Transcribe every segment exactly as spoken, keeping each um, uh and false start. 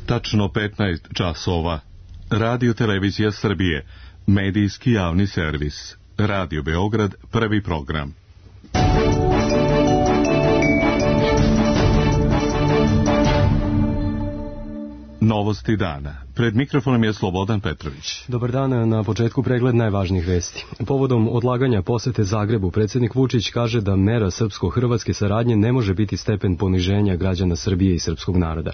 Tačno petnaest časova. Radio Televizija Srbije, medijski javni servis. Radio Beograd, prvi program. Novosti dana. Pred mikrofonom je Slobodan Petrović. Dobar dan, na početku pregled najvažnijih vesti. Povodom odlaganja posete Zagrebu, predsjednik Vučić kaže da mera srpsko-hrvatske saradnje ne može biti stepen poniženja građana Srbije i srpskog naroda.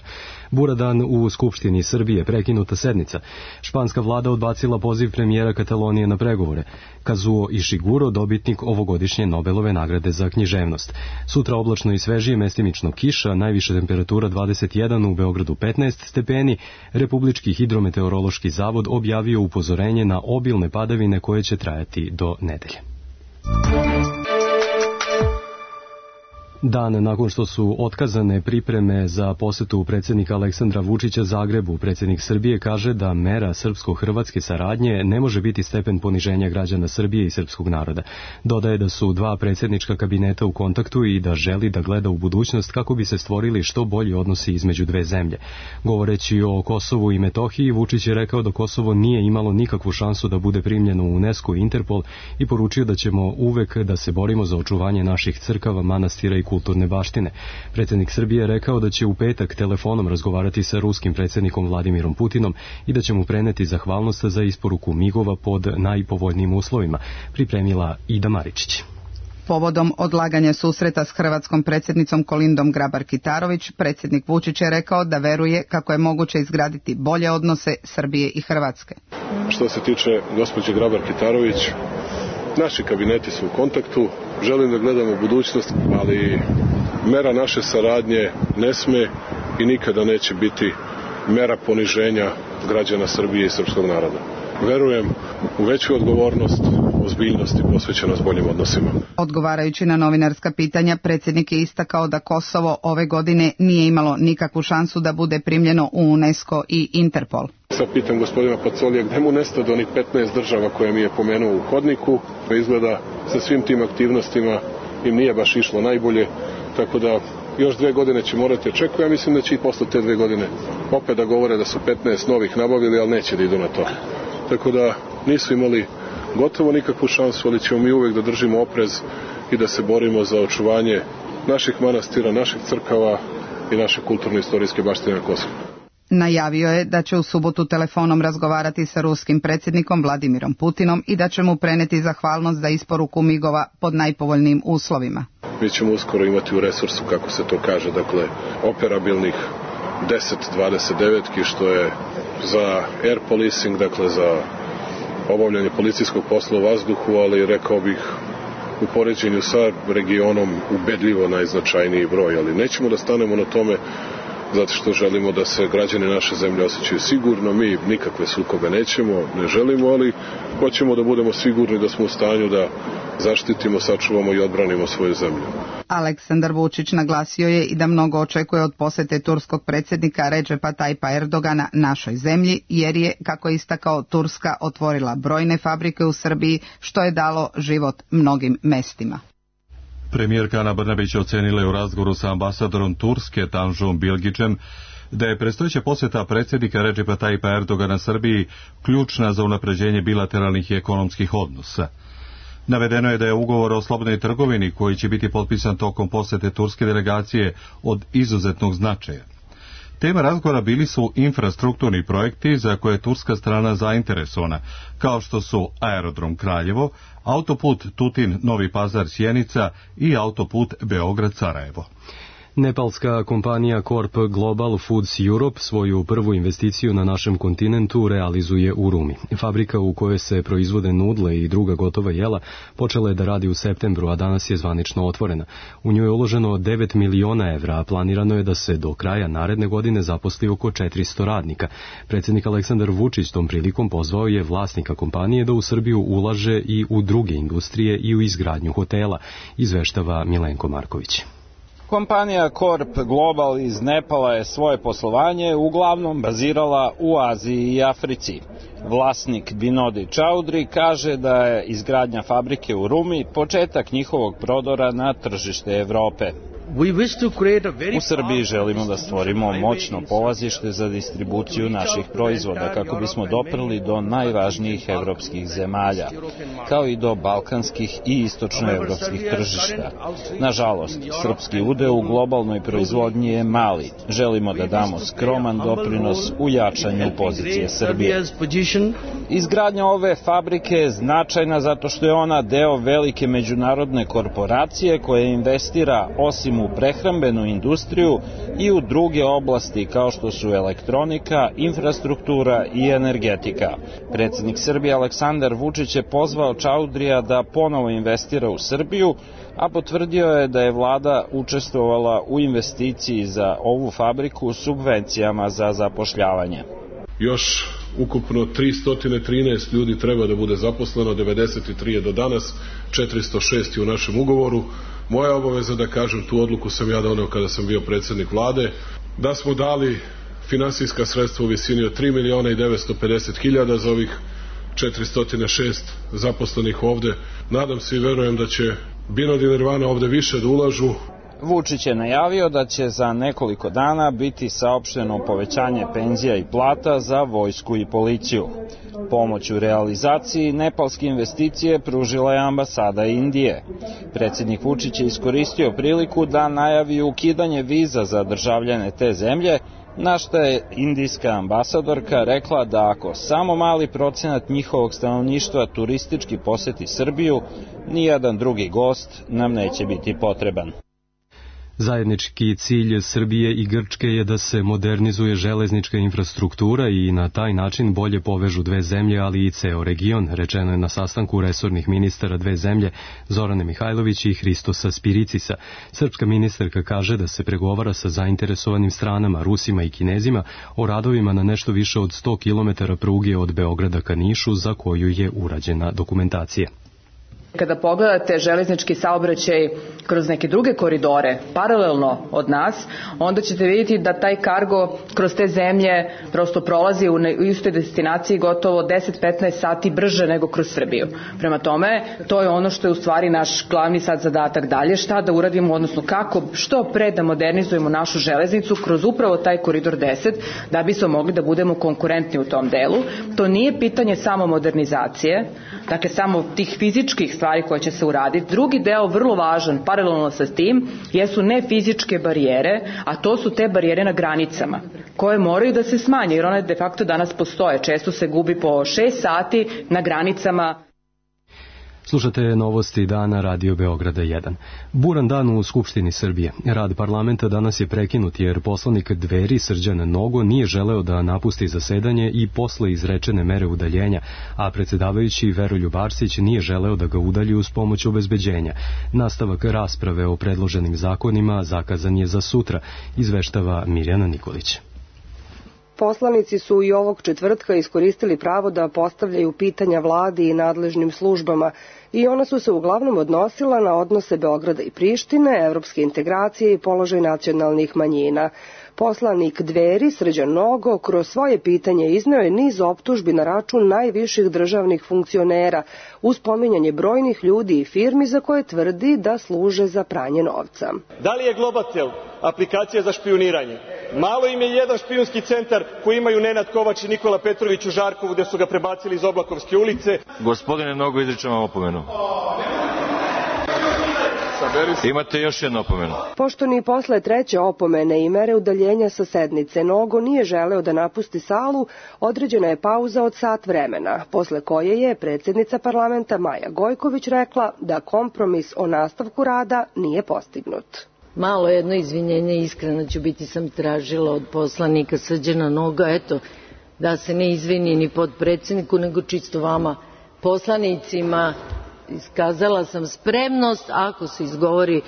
Bura dan u Skupštini Srbije, prekinuta sednica. Španska vlada odbacila poziv premijera Katalonije na pregovore. Kazuo Ishiguro, dobitnik ovogodišnje Nobelove nagrade za književnost. Sutra oblačno i svežije, mestimično kiša, najviša temperatura dvadeset jedan, u Beogradu petnaest stepeni. Republički hidrometeorološki zavod objavio upozorenje na obilne padavine koje će trajati do nedelje. Dan nakon što su otkazane pripreme za posetu predsjednika Aleksandra Vučića Zagrebu, predsjednik Srbije kaže da mera srpsko-hrvatske saradnje ne može biti stepen poniženja građana Srbije i srpskog naroda. Dodaje da su dva predsjednička kabineta u kontaktu i da želi da gleda u budućnost kako bi se stvorili što bolji odnosi između dve zemlje. Govoreći o Kosovu i Metohiji, Vučić je rekao da Kosovo nije imalo nikakvu šansu da bude primljeno u UNESCO i Interpol i poručio da ćemo uvek da se borimo za očuvanje naših crkava, manastira i kulturne baštine. Predsjednik Srbije je rekao da će u petak telefonom razgovarati sa ruskim predsjednikom Vladimirom Putinom i da će mu preneti zahvalnost za isporuku migova pod najpovoljnijim uslovima, pripremila Ida Maričić. Povodom odlaganja susreta s hrvatskom predsjednicom Kolindom Grabar-Kitarović, predsjednik Vučić je rekao da veruje kako je moguće izgraditi bolje odnose Srbije i Hrvatske. Što se tiče gospođe Grabar-Kitarović, naši kabineti su u kontaktu, želim da gledamo u budućnost, ali mera naše saradnje ne sme i nikada neće biti mera poniženja građana Srbije i srpskog naroda. Verujem u veću odgovornost, ozbiljnost i posvećenost boljim odnosima. Odgovarajući na novinarska pitanja, predsjednik je istakao da Kosovo ove godine nije imalo nikakvu šansu da bude primljeno u UNESCO i Interpol. Sad pitam gospodina Pacolija gde mu nestade onih petnaest država koje mi je pomenuo u hodniku. Izgleda sa svim tim aktivnostima im nije baš išlo najbolje, tako da još dve godine će morati čekati. Ja mislim da će i posle te dve godine opet da govore da su petnaest novih nabavili, ali neće da idu na to. Tako da nisu imali gotovo nikakvu šansu, ali ćemo mi uvek da držimo oprez i da se borimo za očuvanje naših manastira, naših crkava i naše kulturno-istorijske baštine na Kosovu. Najavio je da će u subotu telefonom razgovarati sa ruskim predsjednikom Vladimirom Putinom i da će mu preneti zahvalnost za isporuku migova pod najpovoljnijim uslovima. Mi ćemo uskoro imati u resursu, kako se to kaže, dakle, operabilnih deset dvadeset devet, što je za air policing, dakle za obavljanje policijskog posla u vazduhu, ali rekao bih u poređenju sa regionom ubedljivo najznačajniji broj, ali nećemo da stanemo na tome zato što želimo da se građani naše zemlje osjećaju sigurno. Mi nikakve sukobe nećemo, ne želimo, ali hoćemo da budemo sigurni da smo u stanju da zaštitimo, sačuvamo i odbranimo svoju zemlju. Aleksandar Vučić naglasio je i da mnogo očekuje od posete turskog predsjednika Redžepa Tajpa Erdogana našoj zemlji, jer je, kako je istakao, Turska otvorila brojne fabrike u Srbiji, što je dalo život mnogim mestima. Premijerka Ana Brnabić ocenila je u razgovoru sa ambasadorom Turske Tanžom Bilgićem da je predstojeća posjeta predsjednika Redžepa Tajpa Erdogana Srbiji ključna za unapređenje bilateralnih i ekonomskih odnosa. Navedeno je da je ugovor o slobodnoj trgovini koji će biti potpisan tokom posjete turske delegacije od izuzetnog značaja. Tema razgovora bili su infrastrukturni projekti za koje je turska strana zainteresovana, kao što su aerodrom Kraljevo, autoput Tutin-Novi Pazar-Sjenica i autoput Beograd-Sarajevo. Nepalska kompanija Corp Global Foods Europe svoju prvu investiciju na našem kontinentu realizuje u Rumi. Fabrika u kojoj se proizvode nudle i druga gotova jela počela je da radi u septembru, a danas je zvanično otvorena. U nju je uloženo devet miliona evra, a planirano je da se do kraja naredne godine zaposli oko četiristo radnika. Predsjednik Aleksandar Vučić tom prilikom pozvao je vlasnika kompanije da u Srbiju ulaže i u druge industrije i u izgradnju hotela, izveštava Milenko Marković. Kompanija Corp Global iz Nepala je svoje poslovanje uglavnom bazirala u Aziji i Africi. Vlasnik Binodi Čaudri kaže da je izgradnja fabrike u Rumi početak njihovog prodora na tržište Evrope. U Srbiji želimo da stvorimo moćno polazište za distribuciju naših proizvoda kako bismo doprli do najvažnijih evropskih zemalja, kao i do balkanskih i istočnoevropskih tržišta. Nažalost, srpski udeo u globalnoj proizvodnji je mali. Želimo da damo skroman doprinos u jačanju pozicije Srbije. Izgradnja ove fabrike je značajna zato što je ona deo velike međunarodne korporacije koja investira osim u prehrambenu industriju i u druge oblasti kao što su elektronika, infrastruktura i energetika. Predsjednik Srbije Aleksandar Vučić je pozvao Čaudrija da ponovo investira u Srbiju, a potvrdio je da je vlada učestvovala u investiciji za ovu fabriku subvencijama za zapošljavanje. Još ukupno tristo trinaest ljudi treba da bude zaposleno, devedeset tri je do danas, četiristo šest je u našem ugovoru. Moja obaveza da kažem, tu odluku sam ja doneo kada sam bio predsjednik vlade, da smo dali finansijska sredstva u visini od tri miliona i devetsto pedeset hiljada za ovih četiristo šest zaposlenih ovde. Nadam se i verujem da će Binod i Nirvana ovde više da ulažu. Vučić je najavio da će za nekoliko dana biti saopšteno povećanje penzija i plata za vojsku i policiju. Pomoć u realizaciji nepalske investicije pružila je ambasada Indije. Predsjednik Vučić je iskoristio priliku da najavi ukidanje viza za državljane te zemlje, na što je indijska ambasadorka rekla da ako samo mali procenat njihovog stanovništva turistički poseti Srbiju, nijedan drugi gost nam neće biti potreban. Zajednički cilj Srbije i Grčke je da se modernizuje železnička infrastruktura i na taj način bolje povežu dve zemlje, ali i ceo region, rečeno je na sastanku resornih ministara dve zemlje Zorane Mihajlović i Hristosa Spiricisa. Srpska ministarka kaže da se pregovara sa zainteresovanim stranama, Rusima i Kinezima, o radovima na nešto više od sto kilometara pruge od Beograda ka Nišu za koju je urađena dokumentacija. Kada pogledate železnički saobraćaj kroz neke druge koridore, paralelno od nas, onda ćete vidjeti da taj kargo kroz te zemlje prosto prolazi u istoj destinaciji gotovo deset do petnaest sati brže nego kroz Srbiju. Prema tome, to je ono što je u stvari naš glavni sad zadatak dalje, šta da uradimo, odnosno kako što pre da modernizujemo našu železnicu kroz upravo taj koridor deset, da bismo mogli da budemo konkurentni u tom delu. To nije pitanje samo modernizacije, dakle samo tih fizičkih stvari koje će se uraditi. Drugi deo, vrlo važan, paralelno sa tim, jesu nefizičke barijere, a to su te barijere na granicama, koje moraju da se smanje, jer one de facto danas postoje. Često se gubi po šest sati na granicama. Slušate novosti dana Radio Beograda jedan. Buran dan u Skupštini Srbije. Rad parlamenta danas je prekinut jer poslanik Dveri Srđan Nogo nije želeo da napusti zasedanje i posle izrečene mere udaljenja, a predsjedavajući Veroljub Arsić nije želeo da ga udalji uz pomoć obezbeđenja. Nastavak rasprave o predloženim zakonima zakazan je za sutra, izveštava Mirjana Nikolić. Poslanici su i ovog četvrtka iskoristili pravo da postavljaju pitanja vladi i nadležnim službama i ona su se uglavnom odnosila na odnose Beograda i Prištine, evropske integracije i položaj nacionalnih manjina. Poslanik Dveri Srđan Nogo kroz svoje pitanje izneo je niz optužbi na račun najviših državnih funkcionera uz pominjanje brojnih ljudi i firmi za koje tvrdi da služe za pranje novca. Da li je Globatel aplikacija za špijuniranje? Malo im je jedan špijunski centar koji imaju Nenad Kovač i Nikola Petrović u Žarkovu gde su ga prebacili iz Oblakovske ulice. Gospodine Nogo, izričem vam opomenu. Imate još jednu opomenu. Pošto ni posle treće opomene i mere udaljenja sa sednice Nogo nije želeo da napusti salu, određena je pauza od sat vremena, posle koje je predsjednica parlamenta Maja Gojković rekla da kompromis o nastavku rada nije postignut. Malo jedno izvinjenje, iskreno ću biti, sam tražila od poslanika Srđana Noga, eto, da se ne izvini ni podpredsjedniku, nego čisto vama, poslanicima. Iskazala sam spremnost, ako se izgovori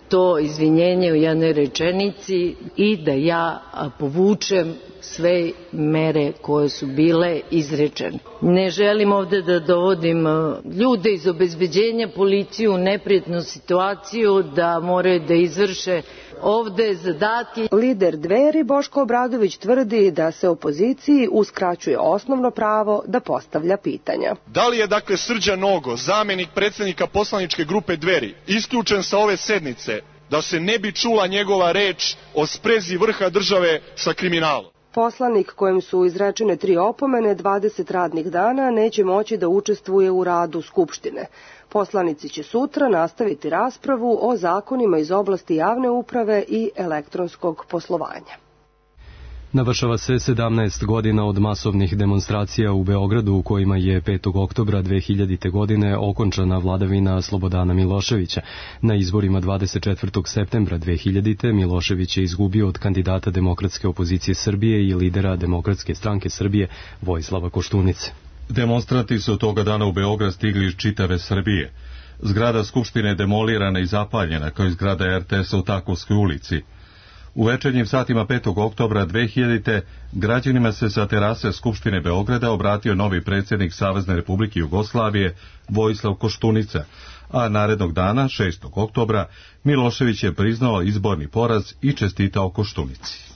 to izvinjenje u jednoj rečenici, i da ja povučem sve mere koje su bile izrečene. Ne želim ovde da dovodim ljude iz obezbeđenja, policiju u neprijatnu situaciju da moraju da izvrše ovde zadatke. Lider Dveri Boško Obradović tvrdi da se opoziciji uskraćuje osnovno pravo da postavlja pitanja. Da li je dakle Srđan Nogo, zamenik predsjednika poslaničke grupe Dveri, isključen sa ove sednice da se ne bi čula njegova reč o sprezi vrha države sa kriminalom. Poslanik kojem su izrečene tri opomene dvadeset radnih dana neće moći da učestvuje u radu Skupštine. Poslanici će sutra nastaviti raspravu o zakonima iz oblasti javne uprave i elektronskog poslovanja. Navršava se sedamnaest godina od masovnih demonstracija u Beogradu u kojima je petog oktobra dve hiljadite. godine okončana vladavina Slobodana Miloševića. Na izborima dvadeset četvrtog septembra dve hiljadite. Milošević je izgubio od kandidata Demokratske opozicije Srbije i lidera Demokratske stranke Srbije Vojislava Koštunice. Demonstranti su toga dana u Beograd stigli iz čitave Srbije. Zgrada Skupštine je demolirana i zapaljena, kao i zgrada er te es-a u Takovskoj ulici. U večernjim satima petog oktobra dve hiljadite. građanima se sa terase Skupštine Beograda obratio novi predsjednik Savezne Republike Jugoslavije Vojislav Koštunica, a narednog dana, šestog oktobra, Milošević je priznao izborni poraz i čestitao Koštunici.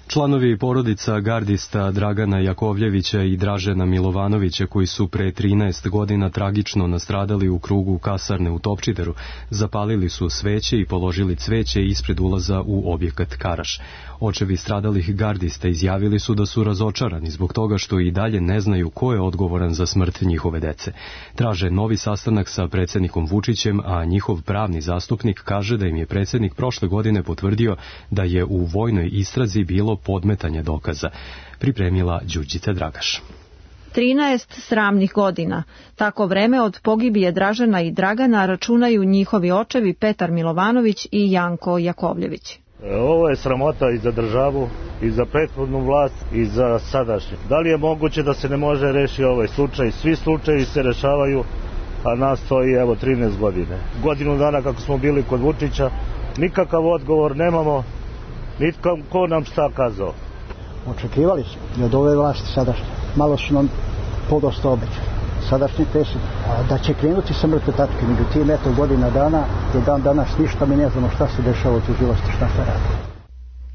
Članovi porodica gardista Dragana Jakovljevića i Dražena Milovanovića, koji su pre trinaest godina tragično nastradali u krugu kasarne u Topčideru, zapalili su sveće i položili cveće ispred ulaza u objekat Karaš. Očevi stradalih gardista izjavili su da su razočarani zbog toga što i dalje ne znaju ko je odgovoran za smrt njihove dece. Traže novi sastanak sa predsjednikom Vučićem, a njihov pravni zastupnik kaže da im je predsjednik prošle godine potvrdio da je u vojnoj istrazi bilo podmetanje dokaza. Pripremila Đurđica Dragaš. trinaest sramnih godina. Tako vreme od pogibije Dražena i Dragana računaju njihovi očevi Petar Milovanović i Janko Jakovljević. Ovo je sramota i za državu, i za prethodnu vlast, i za sadašnju. Da li je moguće da se ne može rešiti ovaj slučaj? Svi slučaji se rešavaju, a nas stoji evo trinaest godine. Godinu dana kako smo bili kod Vučića, nikakav odgovor nemamo, nitko ko nam šta kazao. Očekivali smo od ove vlasti sadašnje. Malo su nam podosta obećali. Sadašnji predsjednik, da će krenuti sa mrtve tačke. Međutim, eto godina dana, do dan danas ništa, mi ne znamo šta se dešava u tužilaštvu, šta se radi.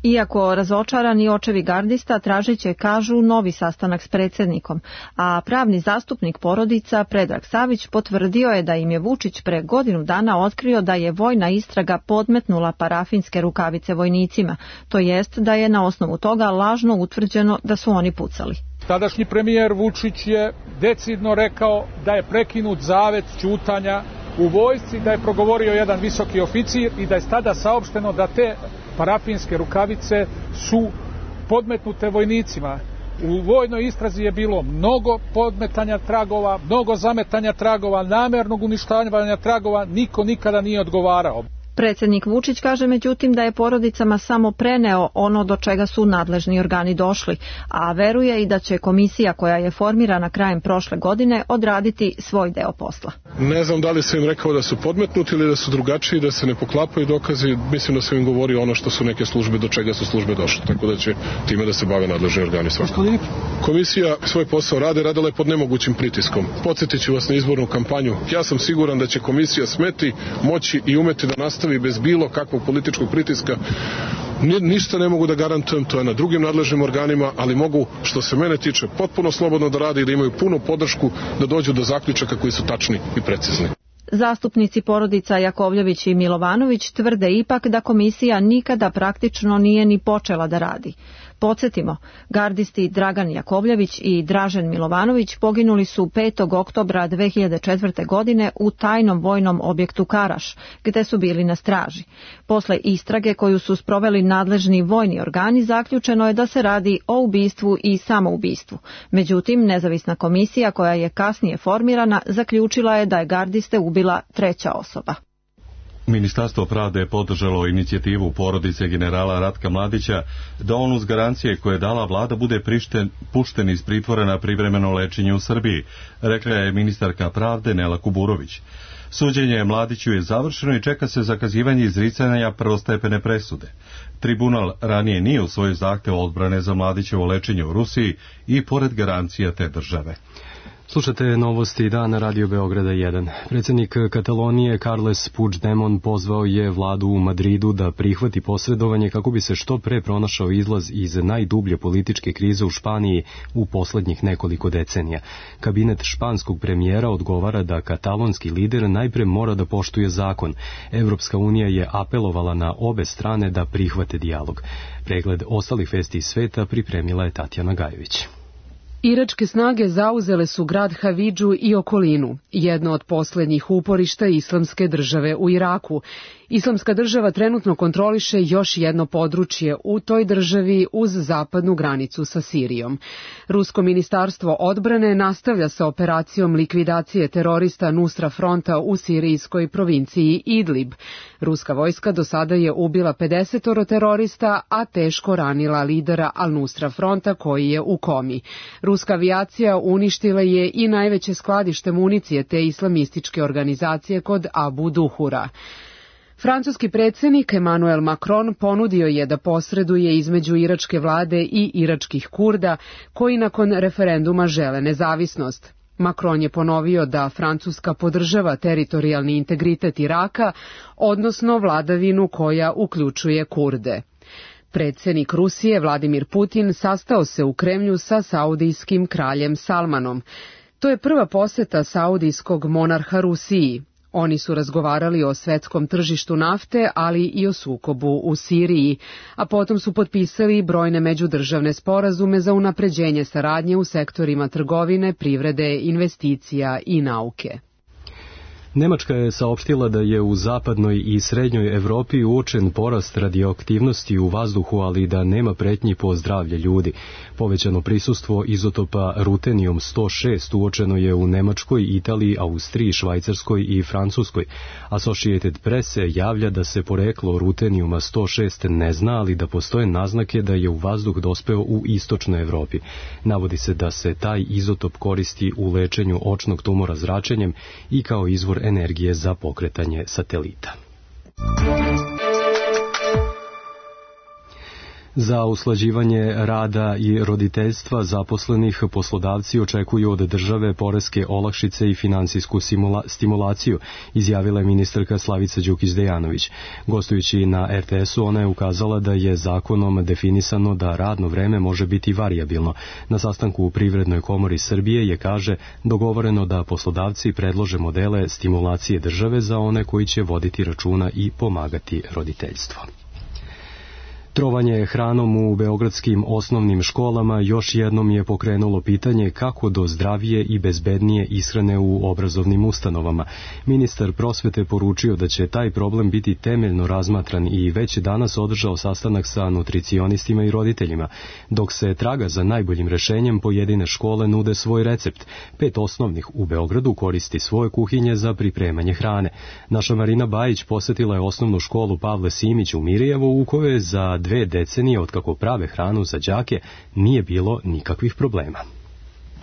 Iako razočarani očevi gardista tražit će, kažu, novi sastanak s predsjednikom, a pravni zastupnik porodica Predrag Savić potvrdio je da im je Vučić pre godinu dana otkrio da je vojna istraga podmetnula parafinske rukavice vojnicima, to jest da je na osnovu toga lažno utvrđeno da su oni pucali. Tadašnji premijer Vučić je decidno rekao da je prekinut zavet ćutanja u vojsci, da je progovorio jedan visoki oficir i da je tada saopšteno da te parafinske rukavice su podmetnute vojnicima. U vojnoj istrazi je bilo mnogo podmetanja tragova, mnogo zametanja tragova, namernog uništavanja tragova, niko nikada nije odgovarao. Predsjednik Vučić kaže međutim da je porodicama samo preneo ono do čega su nadležni organi došli, a veruje i da će komisija koja je formirana krajem prošle godine odraditi svoj deo posla. Ne znam da li sam im rekao da su podmetnuti ili da su drugačiji, da se ne poklapaju dokazi, mislim da sam im govorio ono što su neke službe, do čega su službe došle, tako da će time da se bave nadležni organi svakako. Komisija svoj posao rade, radila je pod nemogućim pritiskom. Podsjetit ću vas na izbornu kampanju. Ja sam siguran da će komisija smeti, moći i umeti da nastavi bez bilo kakvog političkog pritiska. Ništa ne mogu da garantujem, to je na drugim nadležnim organima, ali mogu, što se mene tiče, potpuno slobodno da rade i da imaju punu podršku da dođu do zaključaka koji su tačni i precizni. Zastupnici porodica Jakovljević i Milovanović tvrde ipak da komisija nikada praktično nije ni počela da radi. Podsjetimo, gardisti Dragan Jakovljević i Dražen Milovanović poginuli su petog oktobra dve hiljade četvrte. godine u tajnom vojnom objektu Karaš, gde su bili na straži. Posle istrage koju su sproveli nadležni vojni organi, zaključeno je da se radi o ubistvu i samoubistvu. Međutim, nezavisna komisija koja je kasnije formirana zaključila je da je gardiste ubila treća osoba. Ministarstvo pravde je podržalo inicijativu porodice generala Ratka Mladića da on uz garancije koje je dala vlada bude prišten, pušten iz pritvora na privremeno lečenje u Srbiji, rekla je ministarka pravde Nela Kuburović. Suđenje Mladiću je završeno i čeka se zakazivanje izricanja prvostepene presude. Tribunal ranije nije usvojio zahtev odbrane za Mladićevo lečenje u Rusiji i pored garancija te države. Slušate novosti dana Radio Beograda jedan. Predsjednik Katalonije Carles Puigdemont pozvao je vladu u Madridu da prihvati posredovanje kako bi se što pre pronašao izlaz iz najdublje političke krize u Španiji u poslednjih nekoliko decenija. Kabinet španskog premijera odgovara da katalonski lider najpre mora da poštuje zakon. Evropska unija je apelovala na obe strane da prihvate dijalog. Pregled ostalih vesti iz sveta pripremila je Tatjana Gajović. Iračke snage zauzele su grad Havidžu i okolinu, jedno od posljednjih uporišta islamske države u Iraku. Islamska država trenutno kontroliše još jedno područje u toj državi uz zapadnu granicu sa Sirijom. Rusko ministarstvo odbrane nastavlja sa operacijom likvidacije terorista Nusra Fronta u sirijskoj provinciji Idlib. Ruska vojska do sada je ubila pedeset terorista, a teško ranila lidera Al-Nusra Fronta koji je u komi. Ruska avijacija uništila je i najveće skladište municije te islamističke organizacije kod Abu Duhura. Francuski predsjednik Emmanuel Macron ponudio je da posreduje između iračke vlade i iračkih Kurda koji nakon referenduma žele nezavisnost. Macron je ponovio da Francuska podržava teritorijalni integritet Iraka, odnosno vladavinu koja uključuje Kurde. Predsjednik Rusije Vladimir Putin sastao se u Kremlju sa saudijskim kraljem Salmanom. To je prva posjeta saudijskog monarha Rusiji. Oni su razgovarali o svetskom tržištu nafte, ali i o sukobu u Siriji, a potom su potpisali brojne međudržavne sporazume za unapređenje saradnje u sektorima trgovine, privrede, investicija i nauke. Nemačka je saopštila da je u zapadnoj i srednjoj Evropi uočen porast radioaktivnosti u vazduhu, ali da nema pretnji po zdravlje ljudi. Povećano prisustvo izotopa rutenijum sto šest uočeno je u Nemačkoj, Italiji, Austriji, Švajcarskoj i Francuskoj. Associated Press se javlja da se poreklo rutenijuma sto šest ne zna, ali da postoje naznake da je u vazduh dospeo u istočnoj Evropi. Navodi se da se taj izotop koristi u lečenju očnog tumora zračenjem i kao izvor energije za pokretanje satelita. Za usklađivanje rada i roditeljstva zaposlenih poslodavci očekuju od države poreske olakšice i finansijsku stimulaciju, izjavila je ministarka Slavica Đukić-Dejanović. Gostujući na er te esu, ona je ukazala da je zakonom definisano da radno vreme može biti varijabilno. Na sastanku u Privrednoj komori Srbije je, kaže, dogovoreno da poslodavci predlože modele stimulacije države za one koji će voditi računa i pomagati roditeljstvo. Trovanje hranom u beogradskim osnovnim školama još jednom je pokrenulo pitanje kako do zdravije i bezbednije ishrane u obrazovnim ustanovama. Ministar prosvete poručio da će taj problem biti temeljno razmatran i već danas održao sastanak sa nutricionistima i roditeljima. Dok se traga za najboljim rešenjem, pojedine škole nude svoj recept. Pet osnovnih u Beogradu koristi svoje kuhinje za pripremanje hrane. Naša Marina Bajić posjetila je osnovnu školu Pavle Simić u Mirijevu, u kojoj je za dve decenije od kako prave hranu za đake nije bilo nikakvih problema.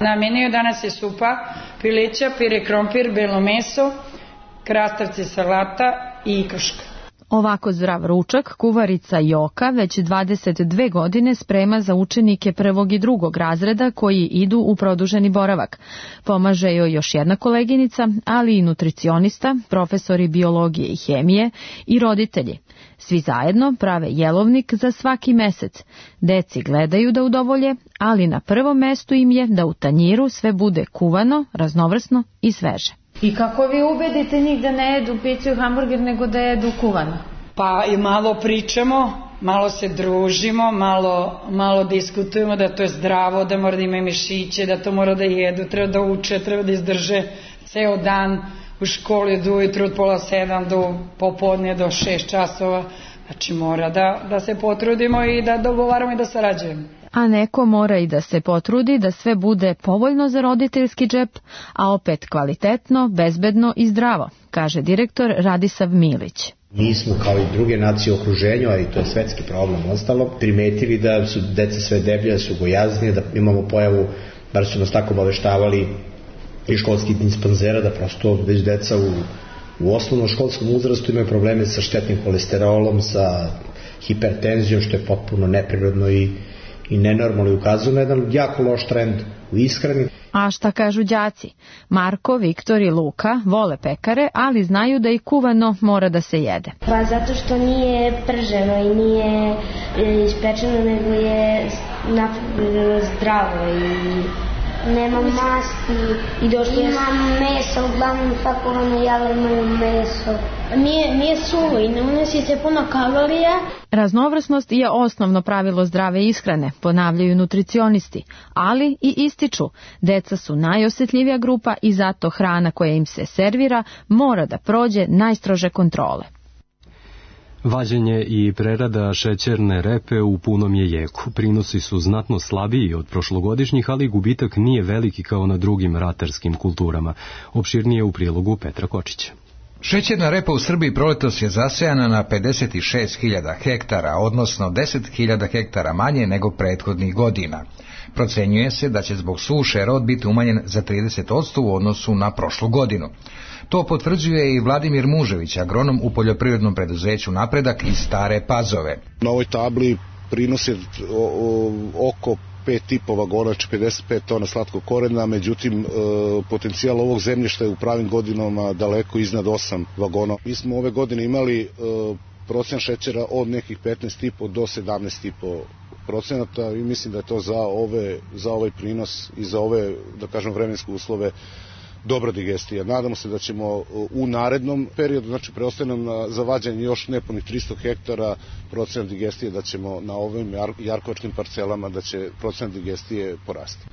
Na meniju danas je supa, pileća, pire krompir, belo meso, krastavci salata i ikruška. Ovako zdrav ručak kuvarica Joka već dvadeset dve godine sprema za učenike prvog i drugog razreda koji idu u produženi boravak. Pomaže joj još jedna koleginica, ali i nutricionista, profesori biologije i hemije i roditelji. Svi zajedno prave jelovnik za svaki mesec. Deci gledaju da udovolje, ali na prvom mestu im je da u tanjiru sve bude kuvano, raznovrsno i sveže. I kako vi ubedite njih da ne jedu picu i hamburger, nego da jedu kuvano? Pa i malo pričamo, malo se družimo, malo, malo diskutujemo da to je zdravo, da mora da ima mišiće, da to mora da jedu, treba da uče, treba da izdrže ceo dan u školi od ujutru od pola sedam do popodne do šest časova. Znači mora da, da se potrudimo i da dogovaramo i da sarađujemo. A neko mora i da se potrudi da sve bude povoljno za roditeljski džep, a opet kvalitetno, bezbedno i zdravo, kaže direktor Radisav Milić. Mi smo kao i druge nacije u okruženju, a i to je svetski problem ostalo, primetili da su deca sve deblje, da su gojaznije, da imamo pojavu, bar su nas tako obaveštavali i školskih dispanzera, da prosto već deca u, u osnovnom školskom uzrastu imaju probleme sa štetnim holesterolom, sa hipertenzijom, što je potpuno neprirodno i i nenormalno i ukazuje na jedan jako loš trend u ishrani A šta kažu đaci? Marko, Viktor i Luka vole pekare, ali znaju da i kuvano mora da se jede. Pa zato što nije prženo i nije ispečeno, nego je zdravo i nema masti i došlo ima meso, uglavnom pakovane jele imaju meso. Nije, nije suvo i ne unosi se puno kalorija. Raznovrsnost je osnovno pravilo zdrave ishrane, ponavljaju nutricionisti, ali i ističu. Deca su najosjetljivija grupa i zato hrana koja im se servira mora da prođe najstrože kontrole. Vađenje i prerada šećerne repe u punom je jeku. Prinosi su znatno slabiji od prošlogodišnjih, ali gubitak nije veliki kao na drugim ratarskim kulturama. Opširnije u prilogu Petra Kočića. Šećerna repa u Srbiji proletos je zasejana na pedeset šest hiljada hektara, odnosno deset hiljada hektara manje nego prethodnih godina. Procenjuje se da će zbog suše rod biti umanjen za trideset posto u odnosu na prošlu godinu. To potvrđuje i Vladimir Mužević, agronom u poljoprivrednom preduzeću Napredak iz Stare Pazove. Na ovoj tabli prinos je oko pet i po vagona, pedeset pet tona slatkog korena, međutim potencijal ovog zemljišta je u pravim godinama daleko iznad osam vagona. Mi smo ove godine imali procen šećera od nekih petnaest i po do sedamnaest i po procenata i mislim da je to za ove za ovaj prinos i za ove, da kažem, vremenske uslove dobra digestija. Nadamo se da ćemo u narednom periodu, znači preostaje nam za vađenje još nepunih tristo hektara, procenat digestije da ćemo na ovim jarkovačkim parcelama da će procenat digestije porasti.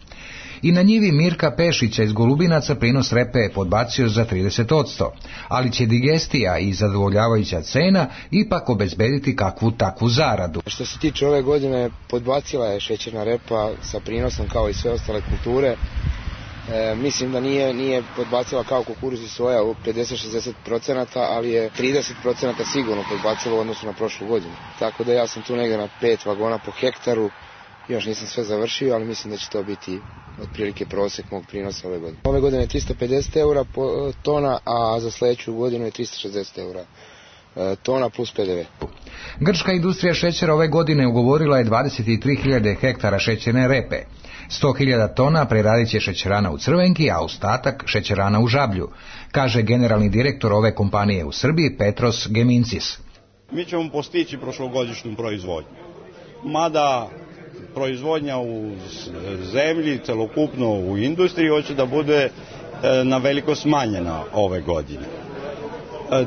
I na njivi Mirka Pešića iz Golubinaca prinos repe je podbacio za trideset posto, ali će digestija i zadovoljavajuća cena ipak obezbediti kakvu takvu zaradu. Što se tiče ove godine, podbacila je šećerna repa sa prinosom kao i sve ostale kulture. E, mislim da nije, nije podbacila kao kukuruz i soja u pedeset do šezdeset procenata, ali je trideset procenata sigurno podbacila u odnosu na prošlu godinu. Tako da ja sam tu negdje na pet vagona po hektaru, još nisam sve završio, ali mislim da će to biti otprilike prosek mog prinosa ove godine. Ove godine je tristo pedeset eura po tona, a za sljedeću godinu je tristo šezdeset eura tona plus pe de ve. Grčka industrija šećera ove godine ugovorila je dvadeset tri hiljade hektara šećerne repe. sto hiljada tona preradit će šećerana u Crvenki, a ostatak šećerana u Žablju, kaže generalni direktor ove kompanije u Srbiji Petros Gemincis. Mi ćemo postići prošlogodišnju proizvodnju. Mada proizvodnja u zemlji, celokupno u industriji, hoće da bude na veliko smanjena ove godine.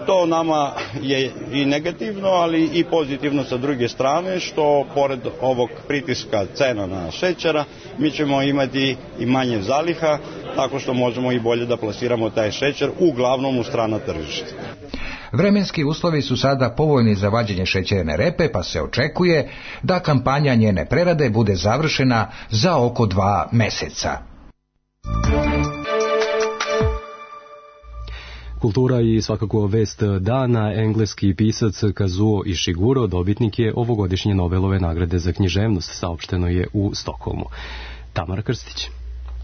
To nama je i negativno, ali i pozitivno sa druge strane, što pored ovog pritiska cena na šećera, mi ćemo imati i manje zaliha, tako što možemo i bolje da plasiramo taj šećer, uglavnom u strana tržišta. Vremenski uslovi su sada povoljni za vađenje šećerne repe, pa se očekuje da kampanja njene prerade bude završena za oko dva meseca. Kultura i svakako vest dana, engleski pisac Kazuo Ishiguro dobitnik je ovogodišnje Nobelove nagrade za književnost, saopšteno je u Stokholmu. Tamara Krstić.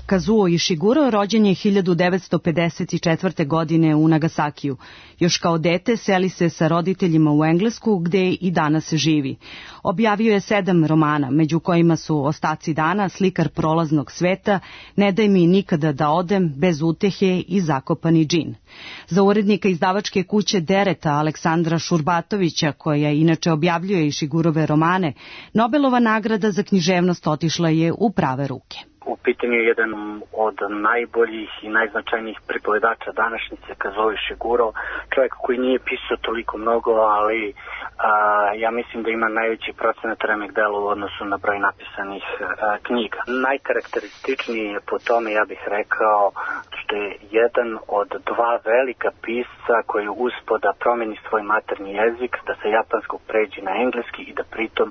Kazuo Ishiguro rođen je hiljadu devetsto pedeset četvrte. godine u Nagasakiju. Još kao dete seli se sa roditeljima u Englesku, gde i danas živi. Objavio je sedam romana, među kojima su Ostaci dana, Slikar prolaznog sveta, Ne daj mi nikada da odem, Bez utehe i Zakopani džin. Za urednika izdavačke kuće Dereta Aleksandra Šurbatovića, koja inače objavljuje Ishigurove romane, Nobelova nagrada za književnost otišla je u prave ruke. U pitanju je jedan od najboljih i najznačajnijih pripovedača današnjice, Kazuo Ishiguro, čovjek koji nije pisao toliko mnogo, ali a, ja mislim da ima najveći procenat remek dela u odnosu na broj napisanih a, knjiga. Najkarakterističniji je po tome, ja bih rekao, što je jedan od dva velika pisca koji je uspio da promeni svoj maternji jezik, da sa japanskog pređe na engleski i da pritom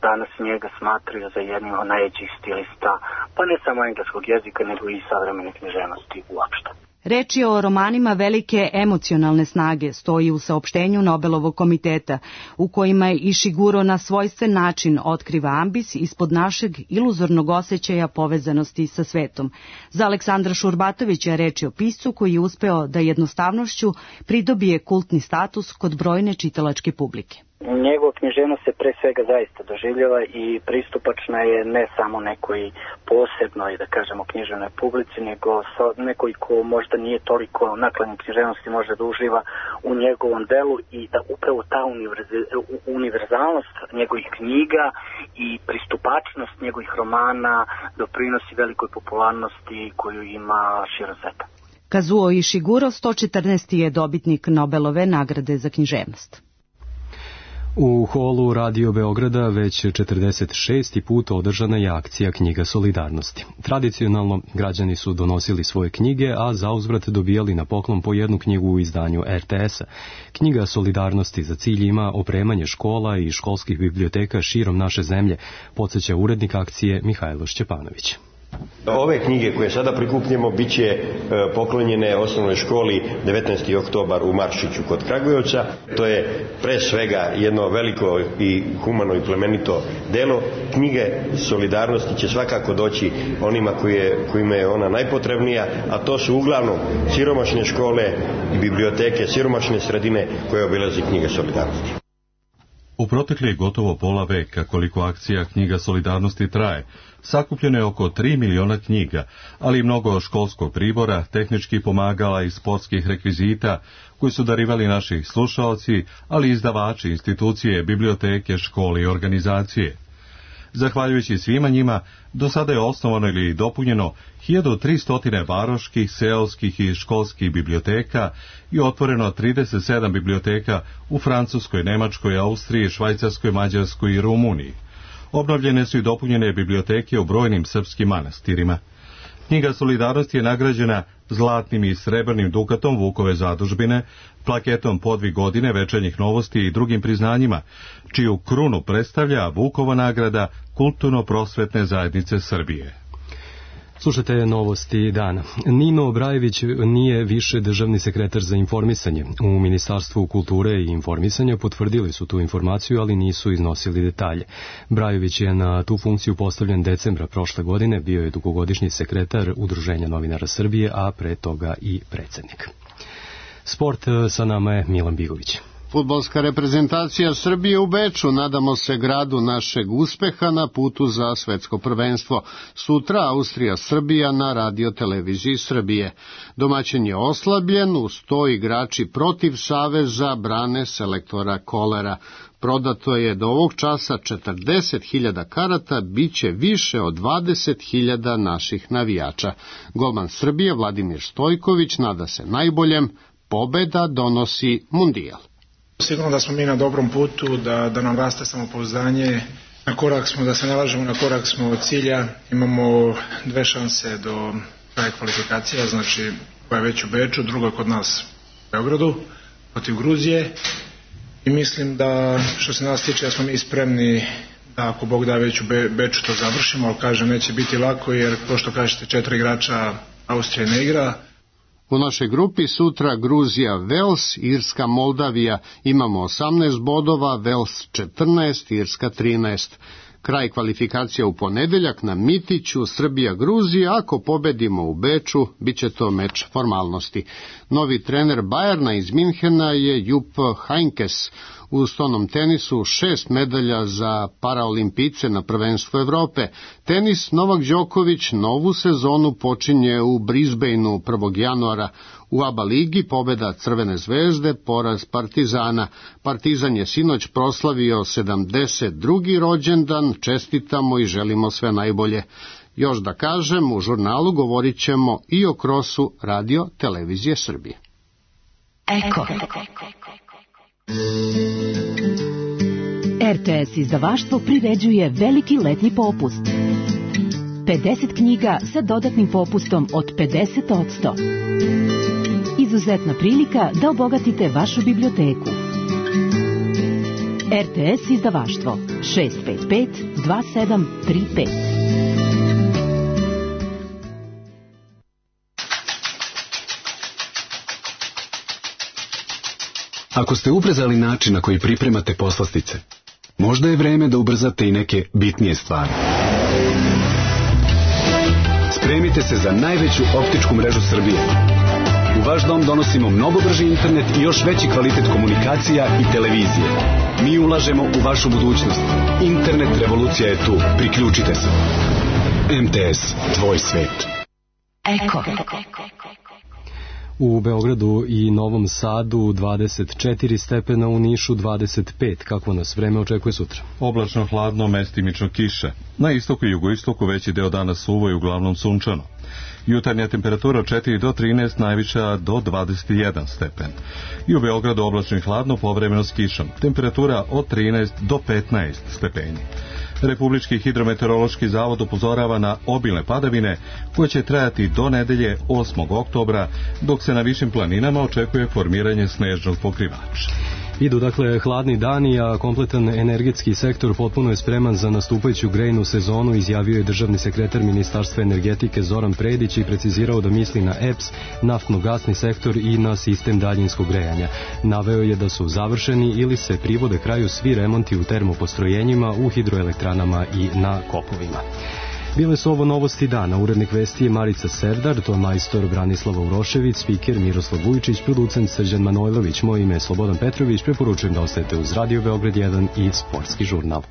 danas njega smatraju za jednim od najvećih stilista, pa ne samo engleskog jezika, nego i savremene književnosti uopšte. Reč je o romanima velike emocionalne snage, stoji u saopštenju Nobelovog komiteta, u kojima je Ishiguro na svojstven način otkriva ambis ispod našeg iluzornog osjećaja povezanosti sa svetom. Za Aleksandra Šurbatovića reč je o piscu koji je uspeo da jednostavnošću pridobije kultni status kod brojne čitalačke publike. Njegova književnost se pre svega zaista doživljava i pristupačna je ne samo nekoj posebnoj, da kažemo, književnoj publici, nego nekoj ko možda nije toliko naklanjen književnosti može da uživa u njegovom delu i da upravo ta univerzalnost njegovih knjiga i pristupačnost njegovih romana doprinosi velikoj popularnosti koju ima širom sveta. Kazuo Ishiguro, sto četrnaesti je dobitnik Nobelove nagrade za književnost. U holu Radio Beograda već četrdeset šesti put održana je akcija Knjiga solidarnosti. Tradicionalno građani su donosili svoje knjige, a zauzvrat dobijali na poklon po jednu knjigu u izdanju er te es-a. Knjiga solidarnosti za cilj ima opremanje škola i školskih biblioteka širom naše zemlje, podsjeća urednik akcije Mihajlo Šćepanović. Ove knjige koje sada prikupljamo bit će poklonjene osnovnoj školi devetnaesti oktobar u Maršiću kod Kragujevca. To je pre svega jedno veliko i humano i plemenito delo. Knjige solidarnosti će svakako doći onima koje, kojima je ona najpotrebnija, a to su uglavnom siromašne škole i biblioteke, siromašne sredine koje obilazi Knjiga solidarnosti. U protekli gotovo pola veka koliko akcija Knjiga solidarnosti traje, sakupljeno je oko tri miliona knjiga, ali i mnogo školskog pribora, tehničkih pomagala i sportskih rekvizita koji su darivali naši slušaoci, ali i izdavači, institucije, biblioteke, škole i organizacije. Zahvaljujući svima njima, do sada je osnovano ili dopunjeno hiljadu tristo varoških, seoskih i školskih biblioteka i otvoreno trideset sedam biblioteka u Francuskoj, Nemačkoj, Austriji, Švajcarskoj, Mađarskoj i Rumuniji. Obnovljene su i dopunjene biblioteke u brojnim srpskim manastirima. Knjiga solidarnosti je nagrađena zlatnim i srebrnim dukatom Vukove zadužbine, plaketom Podvig godine, Večernjih novosti i drugim priznanjima, čiju krunu predstavlja Vukova nagrada Kulturno-prosvetne zajednice Srbije. Slušajte novosti dana. Nino Brajević nije više državni sekretar za informisanje. U Ministarstvu kulture i informisanja potvrdili su tu informaciju, ali nisu iznosili detalje. Brajević je na tu funkciju postavljen decembra prošle godine, bio je dugogodišnji sekretar Udruženja novinara Srbije, a pre toga i predsednik. Sport, sa nama je Milan Bigović. Fudbalska reprezentacija Srbije u Beču, nadamo se gradu našeg uspeha na putu za svetsko prvenstvo. Sutra Austrija-Srbija na radio televiziji Srbije. Domaćin je oslabljen, uz to igrači protiv Saveza brane selektora Kolera. Prodato je do ovog časa četrdeset hiljada karata, bit će više od dvadeset hiljada naših navijača. Golman Srbije Vladimir Stojković nada se najboljem, pobeda donosi mundijal. Sigurno da smo mi na dobrom putu, da, da nam raste samopouzdanje, na korak smo, da se nalažemo, na korak smo od cilja, imamo dve šanse do kraja kvalifikacija, znači koja je već u Beču, druga kod nas u Beogradu, protiv Gruzije i mislim da što se nas tiče da smo mi spremni da ako Bog da već u Be, Beču to završimo, ali kažem neće biti lako jer ko što kažete četiri igrača Austrije ne igra. U našoj grupi sutra Gruzija, Vels, Irska, Moldavija. Imamo osamnaest bodova, Vels četrnaest, Irska trinaest. Kraj kvalifikacija u ponedeljak na Mitiću, Srbija, Gruzija. Ako pobedimo u Beču, bit će to meč formalnosti. Novi trener Bajerna iz Minhena je Jupp Heynckes. U stonom tenisu šest medalja za paraolimpice na prvenstvu Evrope. Tenis Novak Đoković novu sezonu počinje u Brisbaneu prvog januara. U ABA ligi pobeda Crvene zvezde, poraz Partizana. Partizan je sinoć proslavio sedamdeset drugi rođendan, čestitamo i želimo sve najbolje. Još da kažem, u žurnalu govorit ćemo i o krosu radio televizije Srbije. Eko. er te es izdavaštvo priređuje veliki letnji popust. pedeset knjiga sa dodatnim popustom od pedeset posto. Izuzetna prilika da obogatite vašu biblioteku. er te es izdavaštvo šest pet pet dva sedam tri pet. Ako ste ubrzali način na koji pripremate poslastice, možda je vreme da ubrzate i neke bitnije stvari. Spremite se za najveću optičku mrežu Srbije. U vaš dom donosimo mnogo brži internet i još veći kvalitet komunikacija i televizije. Mi ulažemo u vašu budućnost. Internet revolucija je tu. Priključite se. M T S, tvoj svet. Eko. U Beogradu i Novom Sadu dvadeset četiri stepena, u Nišu dvadeset pet. Kako nas vreme očekuje sutra? Oblačno, hladno, mestimično kiše. Na istoku i jugoistoku veći deo dana suvo i uglavnom sunčano. Jutarnja temperatura četiri do trinaest, najviša do dvadeset jedan stepen. I u Beogradu oblačno i hladno, povremeno s kišom. Temperatura od trinaest do petnaest stepeni. Republički hidrometeorološki zavod upozorava na obilne padavine koje će trajati do nedelje osmog oktobra, dok se na višim planinama očekuje formiranje snežnog pokrivača. Idu dakle hladni dani, a kompletan energetski sektor potpuno je spreman za nastupajuću grejnu sezonu, izjavio je državni sekretar Ministarstva energetike Zoran Predić i precizirao da misli na E P S, naftno-gasni sektor i na sistem daljinskog grejanja. Naveo je da su završeni ili se privode kraju svi remonti u termopostrojenjima, u hidroelektranama i na kopovima. Bile su ovo novosti dana. Urednik vesti je Marica Serdar, to je majstor Branislava Urošević, spiker Miroslav Vujčić, producent Srđan Manojlović. Moje ime je Slobodan Petrović, preporučujem da ostajete uz Radio Beograd jedan i Sportski žurnal.